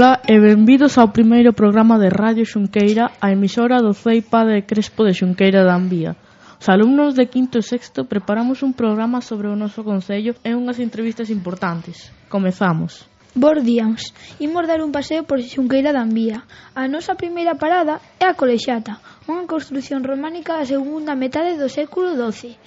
Ola e benvidos ao primeiro programa de Radio Xunqueira, a emisora do CEI Padre Crespo de Xunqueira da Ambía. Os alumnos de quinto e sexto preparamos un programa sobre o noso concello e unhas entrevistas importantes. Comezamos. Bos días, imos dar un paseo por Xunqueira da Ambía. A nosa primeira parada é a Colexata, unha construción románica da segunda metade do século XII.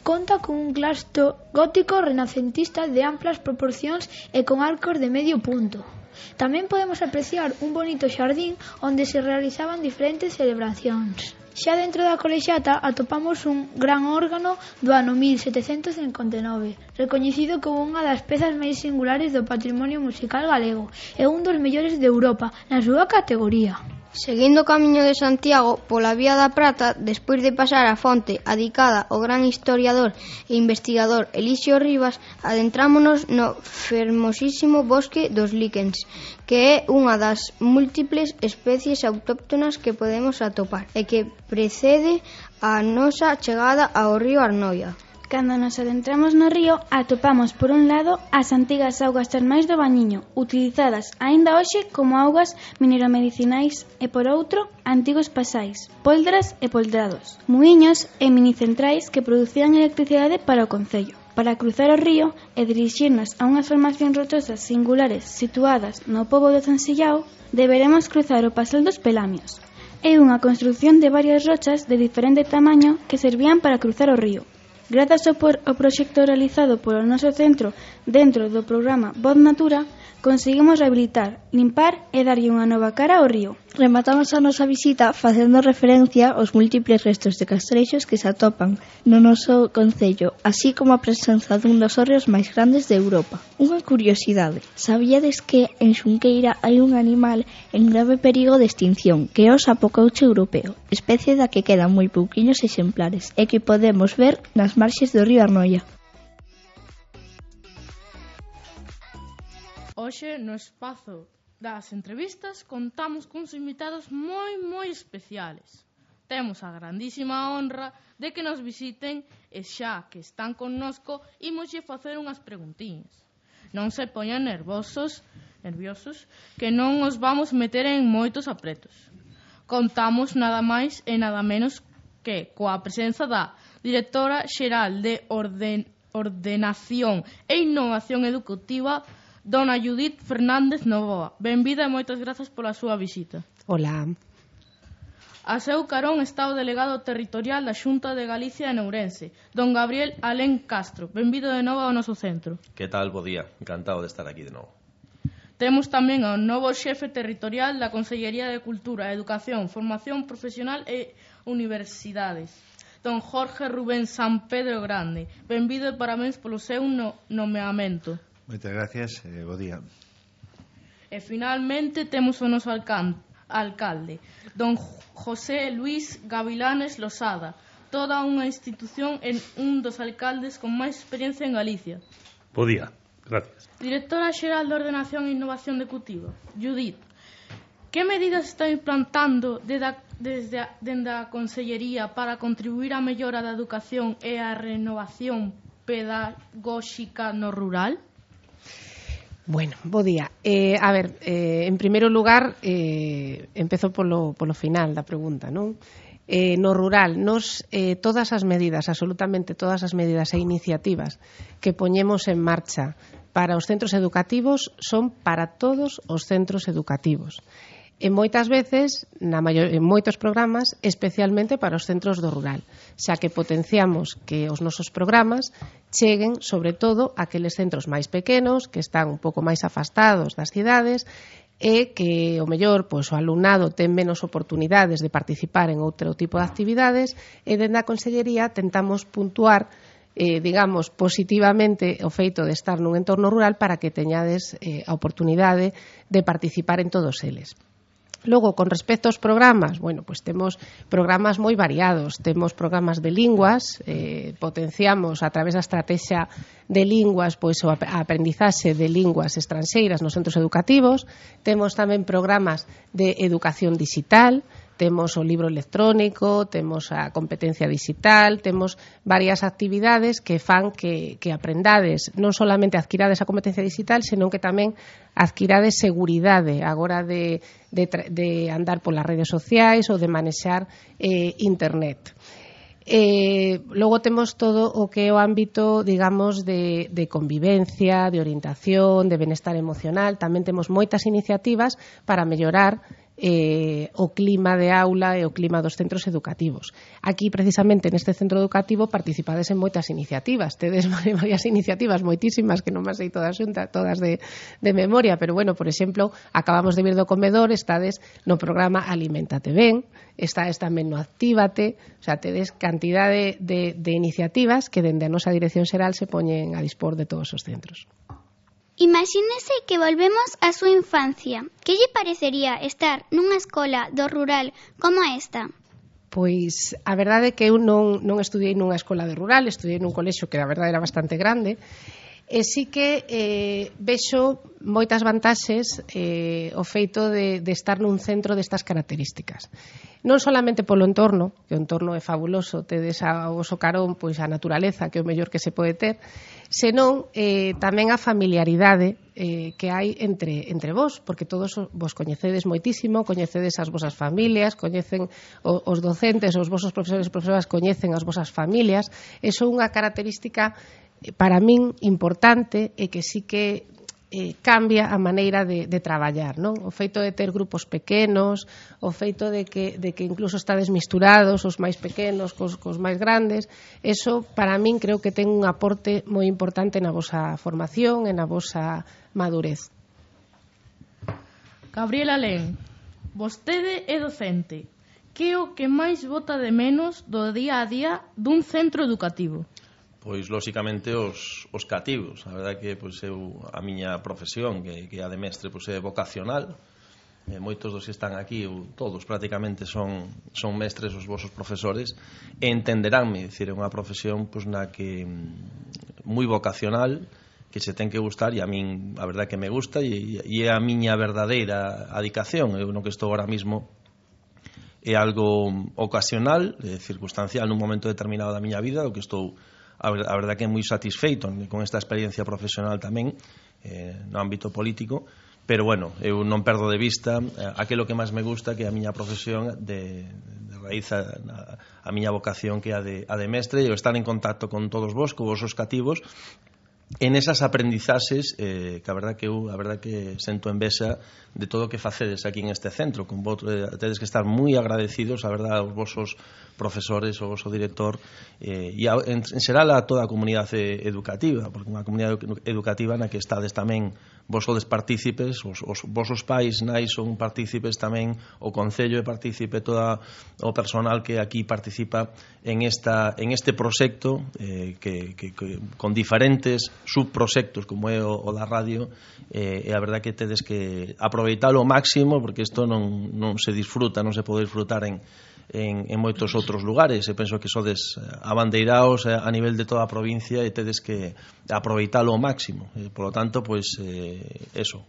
Conta con un claustro gótico renacentista de amplas proporcións e con arcos de medio punto. Tamén podemos apreciar un bonito xardín onde se realizaban diferentes celebracións. Xa dentro da Colexata atopamos un gran órgano do ano 1759, recoñecido como unha das pezas máis singulares do patrimonio musical galego e un dos mellores de Europa na súa categoría. Seguindo o camiño de Santiago pola Vía da Prata, despois de pasar a fonte adicada ao gran historiador e investigador Elixio Rivas, adentrámonos no fermosísimo bosque dos líquens, que é unha das múltiples especies autóctonas que podemos atopar e que precede a nosa chegada ao río Arnoia. Cando nos adentramos no río, atopamos por un lado as antigas augas termais do Bañiño, utilizadas aínda hoxe como augas mineromedicinais, e por outro, antigos pasais, poldras e poldrados, muiños e minicentrais que producían electricidade para o concello. Para cruzar o río e dirixirnos a unhas formacións rochosas singulares situadas no pobo de Zansillao, deberemos cruzar o Pasel dos Pelamios. É unha construción de varias rochas de diferente tamaño que servían para cruzar o río. Grazas ao proxecto realizado polo noso centro dentro do programa Voz Natura, conseguimos rehabilitar, limpar e darlle unha nova cara ao río. Rematamos a nosa visita facendo referencia aos múltiples restos de castrexos que se atopan no noso concello, así como a presenza dun dos hórreos máis grandes de Europa. Unha curiosidade, sabíades que en Xunqueira hai un animal en grave perigo de extinción, que é o sapocaucho europeo, especie da que quedan moi pouquiños exemplares e que podemos ver nas marxes do río Arnoia. Hoxe, no espazo das entrevistas, contamos cuns invitados moi especiales. Temos a grandísima honra de que nos visiten e xa que están connosco, imoslle facer unhas preguntiñas. Non se poñan nerviosos, que non os vamos meter en moitos apretos. Contamos nada máis e nada menos que coa presenza da directora xeral de Ordenación e Innovación Educativa, Dona Judith Fernández Novoa. Benvida e moitas grazas pola súa visita. Hola. A seu carón está o delegado territorial da Xunta de Galicia en Ourense, don Gabriel Alén Castro. Benvido de novo ao noso centro. Que tal, bo día? Encantado de estar aquí de novo. Temos tamén ao novo xefe territorial da Consellería de Cultura, Educación, Formación Profesional e Universidades, don Jorge Rubén San Pedro Grande. Benvido e parabéns polo seu nomeamento. Moitas gracias, bo día. E finalmente temos o noso alcalde, don José Luis Gavilanes Losada, toda unha institución en un dos alcaldes con máis experiencia en Galicia. Bo día, gracias. Directora xeral de Ordenación e Innovación Educativa, Judith, que medidas está implantando desde a Consellería para contribuir á mellora da educación e á renovación pedagóxica no rural? Bueno, bo día. En primeiro lugar, empezo polo final da pregunta, non? No rural, todas as medidas, absolutamente todas as medidas e iniciativas que poñemos en marcha para os centros educativos son para todos os centros educativos. E moitas veces, en moitos programas, especialmente para os centros do rural, xa que potenciamos que os nosos programas cheguen, sobre todo, a aqueles centros máis pequenos, que están un pouco máis afastados das cidades, e que, o mellor, o alumnado ten menos oportunidades de participar en outro tipo de actividades, e dende a Consellería tentamos puntuar positivamente o feito de estar nun entorno rural para que teñades a oportunidade de participar en todos eles. Logo, con respecto aos programas, temos programas moi variados. Temos programas de linguas, potenciamos a través da estrategia de linguas a aprendizaxe de linguas estranxeiras nos centros educativos. Temos tamén programas de educación digital, Temos o libro electrónico, temos a competencia digital, temos varias actividades que fan que aprendades, non solamente adquirades a competencia digital, senón que tamén adquirades seguridade agora de andar polas redes sociais ou de manexar internet. Logo temos todo o que é o ámbito, digamos, de convivencia, de orientación, de benestar emocional. Tamén temos moitas iniciativas para mellorar o clima de aula e o clima dos centros educativos. Aquí, precisamente, neste centro educativo, participades en moitas iniciativas. Tedes varias iniciativas, moitísimas, que non me sei todas xuntas, todas de memoria, pero, bueno, por exemplo, acabamos de vir do comedor, estades no programa Aliméntate Ben, estades tamén no Actívate, o sea, tedes cantidade de iniciativas que dende a nosa Dirección Xeral se poñen a dispor de todos os centros. Imagínese que volvemos á súa infancia. Que lle parecería estar nunha escola do rural como esta? Pois a verdade é que eu non estudiei nunha escola de rural, estudiei nun colexio que a verdade era bastante grande, e sí que vexo moitas vantaxes o feito de estar nun centro destas características. Non solamente polo entorno, que o entorno é fabuloso, tedes ao voso carón pois a naturaleza, que é o mellor que se pode ter, senón tamén a familiaridade que hai entre vos, porque todos vos coñecedes moitísimo, coñecedes as vosas familias, coñecen os docentes, os vosos profesores e profesoras coñecen as vosas familias. Eso é unha característica para min importante e que sí que cambia a maneira de traballar, non? O feito de ter grupos pequenos, o feito de que incluso estades misturados, os máis pequenos cos máis grandes, eso para min creo que ten un aporte moi importante na vosa formación e na vosa madurez. Gabriela Len, vostede é docente. Que é o que máis bota de menos do día a día dun centro educativo? Pois, lóxicamente, os cativos. A verdade que pois, a miña profesión, que a de mestre, pois, é vocacional. Moitos dos que están aquí, todos prácticamente son mestres os vosos profesores, e entenderánme, dicir, é unha profesión pois, na que moi vocacional, que se ten que gustar, e a min a verdade que me gusta, e é a miña verdadeira adicación. Eu no que estou ahora mismo é algo ocasional, circunstancial nun momento determinado da miña vida, o que estou a verdade que é moi satisfeito con esta experiencia profesional tamén no ámbito político, pero bueno, eu non perdo de vista aquilo que máis me gusta, que é a miña profesión de raíz a miña vocación, que é a de mestre, e o estar en contacto con todos vos, con vosos cativos, en esas aprendizaxes que a verdade que sento envexa de todo o que facedes aquí en este centro. Con vos tedes que estar moi agradecidos, a verdade, aos vosos profesores, ao voso director, e en xeral a toda a comunidade educativa, porque unha comunidade educativa na que estades tamén vos sodes partícipes, os vosos pais nais son partícipes tamén, o Concello é partícipe, todo o personal que aquí participa en este proxecto que con diferentes subproxectos como é o da radio, e a verdade que tedes que aproveitalo ao máximo, porque isto non se disfruta, non se pode disfrutar en moitos outros lugares, e penso que sodes abandeiraos a nivel de toda a provincia e tedes que aproveitalo ao máximo. Por lo tanto, pois, eso,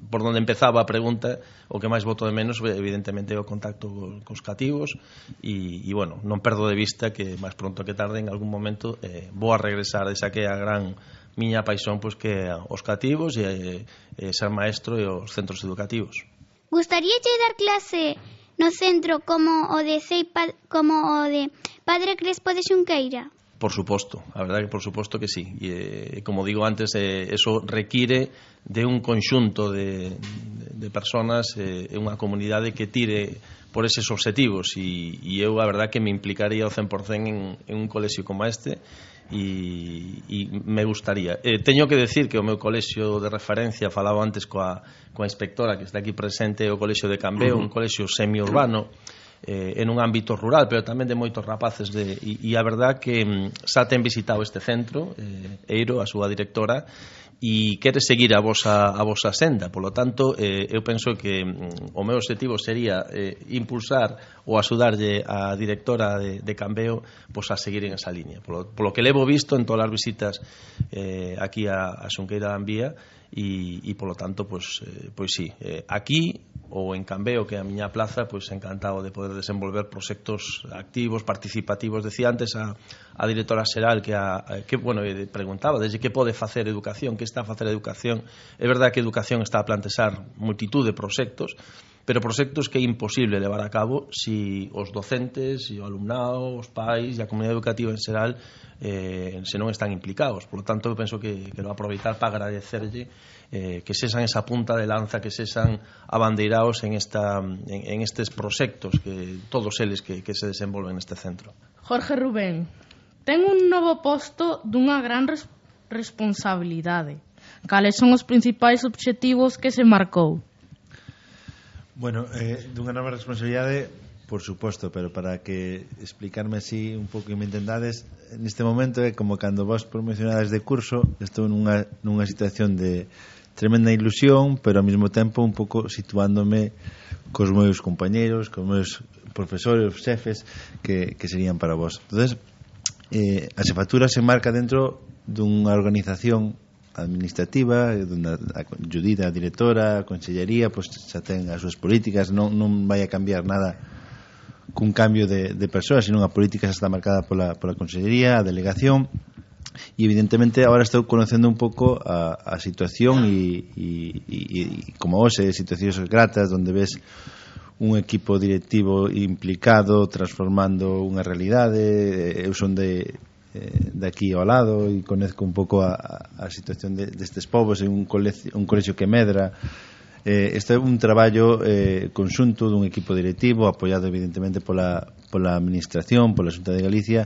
por onde empezaba a pregunta, o que máis boto de menos, evidentemente, é o contacto cos cativos, e, bueno, non perdo de vista que máis pronto que tarde, en algún momento, vou a regresar desa que é a gran miña paixón, pois, que os cativos e ser maestro e os centros educativos. Gustaríalle dar clase no centro como o de Padre Crespo de Xunqueira? Por suposto, a verdade que por suposto que sí. E como digo antes, eso require de un conxunto de personas, unha comunidade que tire por eses obxectivos, e eu a verdade que me implicaría ao 100% en un colexio como este, e me gustaría. Teño que decir que o meu colexio de referencia, falaba antes coa inspectora que está aquí presente, o colexio de Cambeo, un colexio semiurbano, en un ámbito rural, pero tamén de moitos rapaces, e a verdade que xa ten visitado este centro, Eiro, a súa directora, e quere seguir a vosa senda. Por lo tanto, eu penso que o meu objetivo sería impulsar ou axudarlle a directora de Cambeo pois a seguir en esa línea. Polo que levo visto en todas as visitas aquí a Xunqueira da Ambía, e polo tanto, pois sí, aquí ou en Cambeo, que é a miña plaza, pois encantado de poder desenvolver proxectos activos, participativos. Decía antes a directora xeral que bueno, preguntaba desde que pode facer educación, que está a facer educación. É verdade que educación está a plantexar multitud de proxectos, pero proxectos que é imposible levar a cabo si os docentes, si o alumnado, os pais e a comunidade educativa en xeral se non están implicados. Por lo tanto, eu penso que quero aproveitar para agradecerlle que sexan esa punta de lanza, que sexan abandeirados en estes proxectos, que todos eles que se desenvolven neste centro. Jorge Rubén, ten un novo posto dunha gran responsabilidade. Cales son os principais obxectivos que se marcou? Bueno, dunha nova responsabilidade, por suposto, pero para que explicarme así un pouco e me entendades, neste momento é como cando vos promocionades de curso, estou nunha situación de tremenda ilusión, pero ao mesmo tempo un pouco situándome cos meus compañeros, cos meus profesores, xefes que serían para vos. Entonces, a xefatura se marca dentro dunha organización administrativa, donde a Judith, a directora, a consellería, pues xa ten as súas políticas, non vai a cambiar nada cun cambio de persoas, sino a política xa está marcada pola consellería, a delegación, e evidentemente agora estou conocendo un pouco a situación e como hoxe, situacións gratas onde ves un equipo directivo implicado, transformando unha realidade. Eu son de aquí ao lado e conezco un pouco a situación destes povos, en un colexio que medra. Este é un traballo conxunto dun equipo directivo apoiado evidentemente pola administración, pola Xunta de Galicia,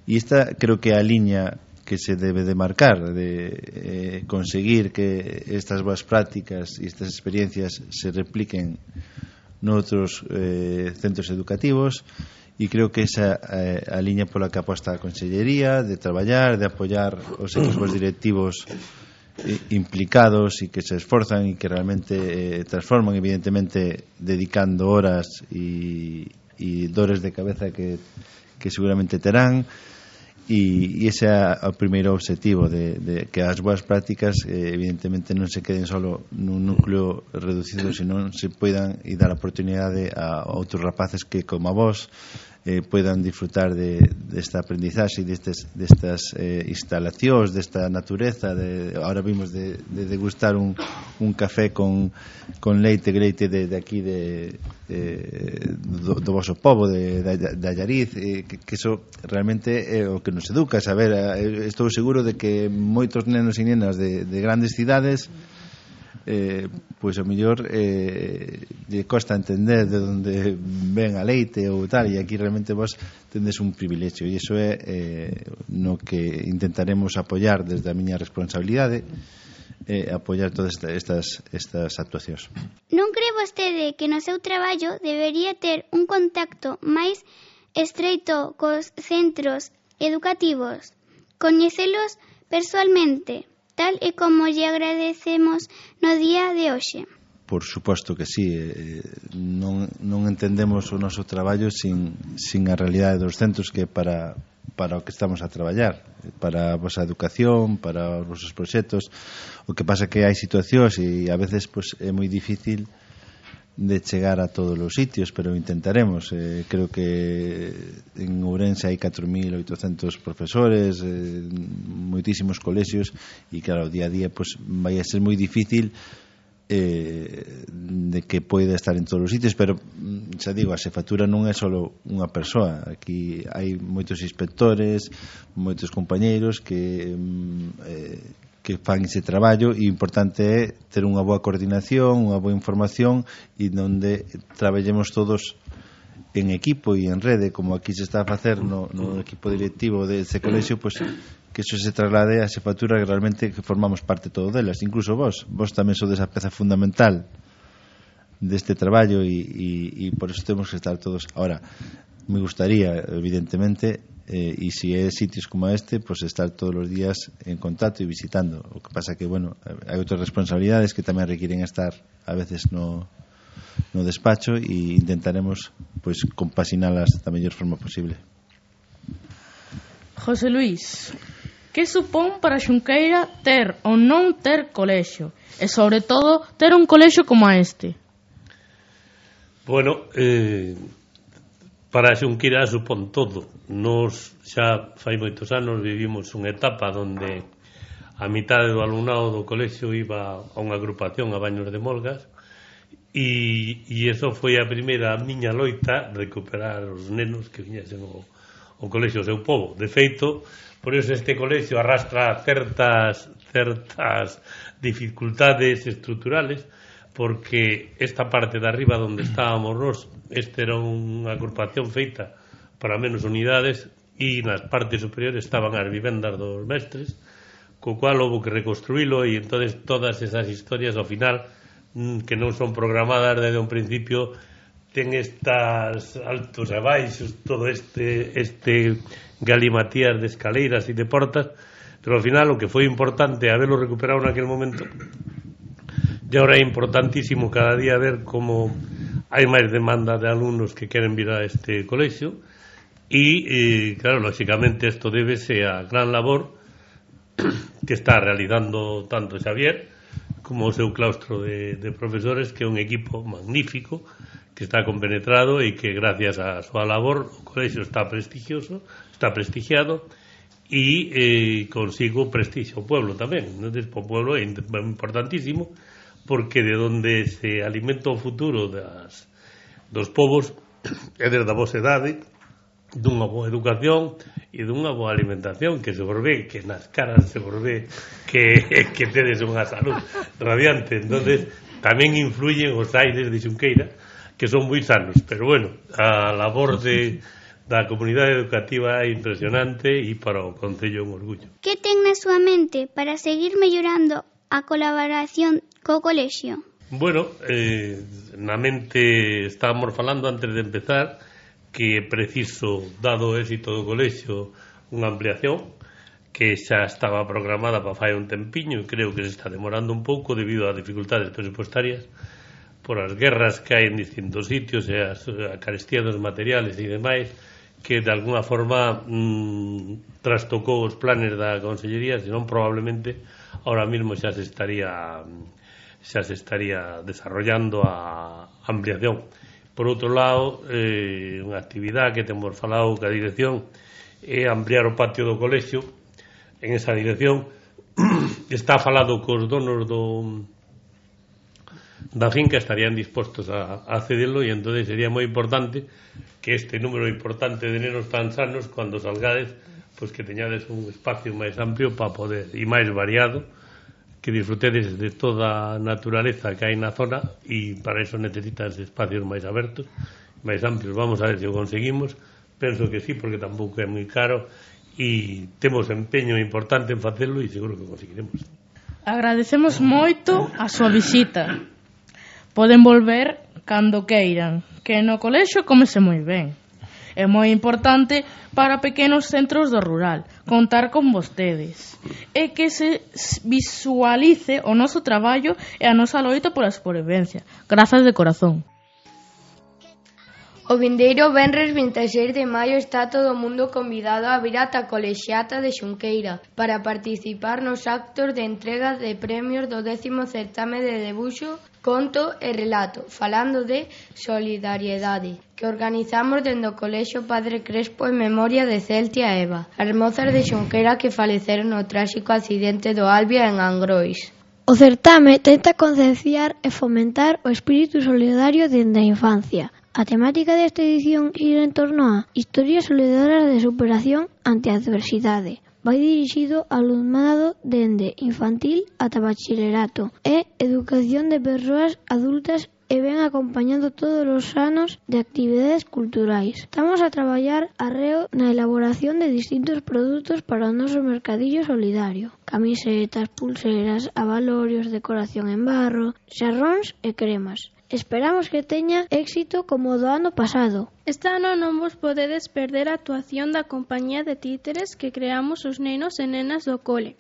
e esta creo que é a liña que se debe de marcar, de conseguir que estas boas prácticas e estas experiencias se repliquen noutros centros educativos. E creo que esa a liña pola que aposta a Consellería, de traballar, de apoiar os equipos directivos implicados e que se esforzan e que realmente transforman, evidentemente dedicando horas e dores de cabeza que seguramente terán. E ese é o primeiro objetivo, de que as boas prácticas evidentemente non se queden solo nun núcleo reducido, senón se poidan e dar a oportunidade a outros rapaces que, como a vos, poidan disfrutar desta aprendizaxe, destas instalacións, desta natureza. Ahora vimos de degustar un café con leite de aquí do voso pobo de Allariz, que eso realmente é o que nos educa. Saber, estou seguro de que moitos nenos e nenas de grandes cidades pois ao mellor lle costa entender de onde ven a leite ou tal, e aquí realmente vos tendes un privilexio, e iso é no que intentaremos apoiar desde a miña responsabilidade, apoiar todas estas actuacións. Non cree vostede que no seu traballo debería ter un contacto máis estreito cos centros educativos, coñecelos persoalmente, tal e como lle agradecemos no día de hoxe? Por suposto que sí. Non entendemos o noso traballo sin a realidade dos centros, que para o que estamos a traballar, para a vosa educación, para os vosos proxectos. O que pasa que hai situacións e a veces pues, é moi difícil de chegar a todos os sitios, pero intentaremos. Creo que en Ourense hai 4.800 profesores, moitísimos colexios, e claro, día a día pues, vai a ser moi difícil de que poida estar en todos os sitios, pero xa digo, a xefatura non é só unha persoa. Aquí hai moitos inspectores, moitos compañeiros que fan ese traballo, e o importante é ter unha boa coordinación, unha boa información, e onde traballemos todos en equipo e en rede, como aquí se está a facer no equipo directivo deste colexio, pues, que eso se traslade a xefatura, que realmente que formamos parte todo delas, incluso vos tamén sodes a peza fundamental deste traballo, e por eso temos que estar todos. Ahora, me gustaría, evidentemente, e se é sitios como este, pues estar todos os días en contacto e visitando. O que pasa que, bueno, hai outras responsabilidades que tamén requieren estar a veces no despacho, e intentaremos pues compasinalas da mellor forma posible. José Luís, que supón para Xunqueira ter ou non ter colexio? E sobre todo ter un colexio como este? Bueno, para Xunqueira supón todo. Nos xa fai moitos anos vivimos unha etapa onde a mitade do alumnado do colexio iba a unha agrupación a Baños de Molgas e eso foi a primeira miña loita recuperar os nenos que viñesen o colexio ao seu povo. De feito, por iso este colexio arrastra certas dificultades estruturales, porque esta parte de arriba onde estábamos nós, este era unha agrupación feita para menos unidades e nas partes superiores estaban as vivendas dos mestres, co cual houve que reconstruílo e entonces todas esas historias ao final que non son programadas desde un principio ten estas altos e baixos, todo este galimatías de escaleiras e de portas, pero ao final o que foi importante haberlo recuperado naquele momento. E ahora é importantísimo cada día ver como hai máis demanda de alumnos que queren vir a este colexio e claro, lógicamente isto débese a gran labor que está realizando tanto Xavier como o seu claustro de profesores, que é un equipo magnífico que está compenetrado e que gracias a súa labor o colexio está prestigiado e consigo prestigio o pueblo tamén. Entonces, o pueblo é importantísimo porque de onde se alimenta o futuro dos povos é desde a vosa idade, dunha boa educación e dunha boa alimentación, que se vos ve, que nas caras se vos ve que tedes unha salud radiante. Entonces tamén influyen os aires de Xunqueira, que son moi sanos, pero bueno, a labor da comunidade educativa é impresionante e para o Concello un orgullo. Que ten na súa mente para seguir mellorando a colaboración co colexio? Bueno, na mente estábamos falando antes de empezar que é preciso, dado o éxito do colexio, unha ampliación que xa estaba programada para fai un tempiño e creo que se está demorando un pouco debido ás dificultades presupuestarias por as guerras que hai en distintos sitios e a carestía dos materiales e demais, que de alguna forma trastocou os planes da Consellería, senón probablemente ahora mismo xa se estaría desarrollando a ampliación. Por outro lado, unha actividade que temos falado ca dirección é ampliar o patio do colexio. En esa dirección está falado cos donos da finca, estarían dispostos a cedelo e entón sería moi importante que este número importante de nenos tan sanos, cando salgades, pois que teñades un espacio máis amplio para poder, e máis variado, que disfrutedes de toda a naturaleza que hai na zona e para iso necesitas espacios máis abertos, máis amplios. Vamos a ver se o conseguimos. Penso que sí, porque tampouco é moi caro e temos empeño importante en facelo e seguro que conseguiremos. Agradecemos moito a súa visita. Poden volver cando queiran, que no colexio comese moi ben. É moi importante para pequenos centros do rural contar con vostedes e que se visualice o noso traballo e a nosa loita pola supervivencia. Grazas de corazón. O vindeiro venres 26 de maio está todo o mundo convidado a vir ata a Colexiata de Xunqueira para participar nos actos de entrega de premios do 10º certame de debuxo, conto e relato, falando de solidariedade, que organizamos dende o Colexio Padre Crespo en memoria de Celtia e Eva, as mozas de Xunqueira que faleceron no tráxico accidente do Albia en Angrois. O certame tenta concienciar e fomentar o espírito solidario dende a infancia. A temática desta edición gira en torno a historias solidarias de superación ante a adversidade. Vai dirixido ao alumnado dende infantil ata bachilerato e educación de persoas adultas e ven acompañando todos os anos de actividades culturais. Estamos a traballar arreo na elaboración de distintos produtos para o noso mercadillo solidario. Camisetas, pulseras, abalorios, decoración en barro, xarróns e cremas. Esperamos que teña éxito como o do ano pasado. Este ano non vos podedes perder a actuación da compañía de títeres que creamos os nenos e nenas do cole.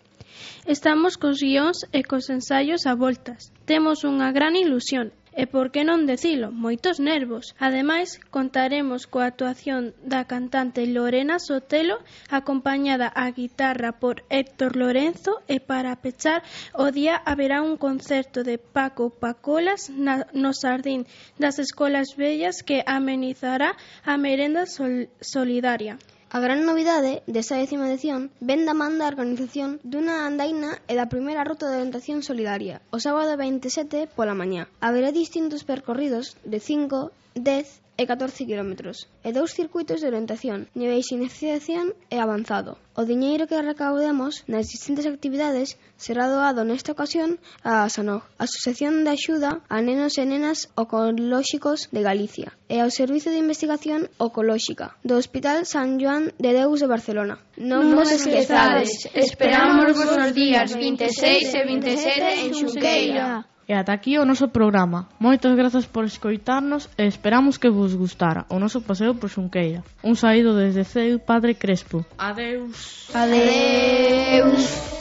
Estamos cos guións e cos ensaios a voltas. Temos unha gran ilusión e por que non decilo, moitos nervos. Ademais, contaremos coa actuación da cantante Lorena Sotelo, acompañada á guitarra por Héctor Lorenzo, e para pechar o día haberá un concerto de Paco Pacolas no Sardín das Escolas Vellas que amenizará a merenda solidaria. A gran novidade desta 10ª edición ven da man da organización dunha andaina e da primeira ruta de orientación solidaria, o sábado 27 pola mañá. Haberá distintos percorridos de 5, 10 e 14 kilómetros e 2 circuitos de orientación, niveis de iniciación e avanzado. O diñeiro que recaudemos nas distintas actividades será doado nesta ocasión a ASANOG, Asociación de Axuda a Nenos e Nenas Oncolóxicos de Galicia, e ao Servicio de Investigación Oncolóxica do Hospital San Joan de Deus de Barcelona. Non vos esquezades, esperamos vos os días 26 e 27 en Xunqueira. E ata aquí o noso programa. Moitas grazas por escoitarnos e esperamos que vos gustara o noso paseo por Xunqueira. Un saído desde Ceu Padre Crespo. Adeus. Adeus.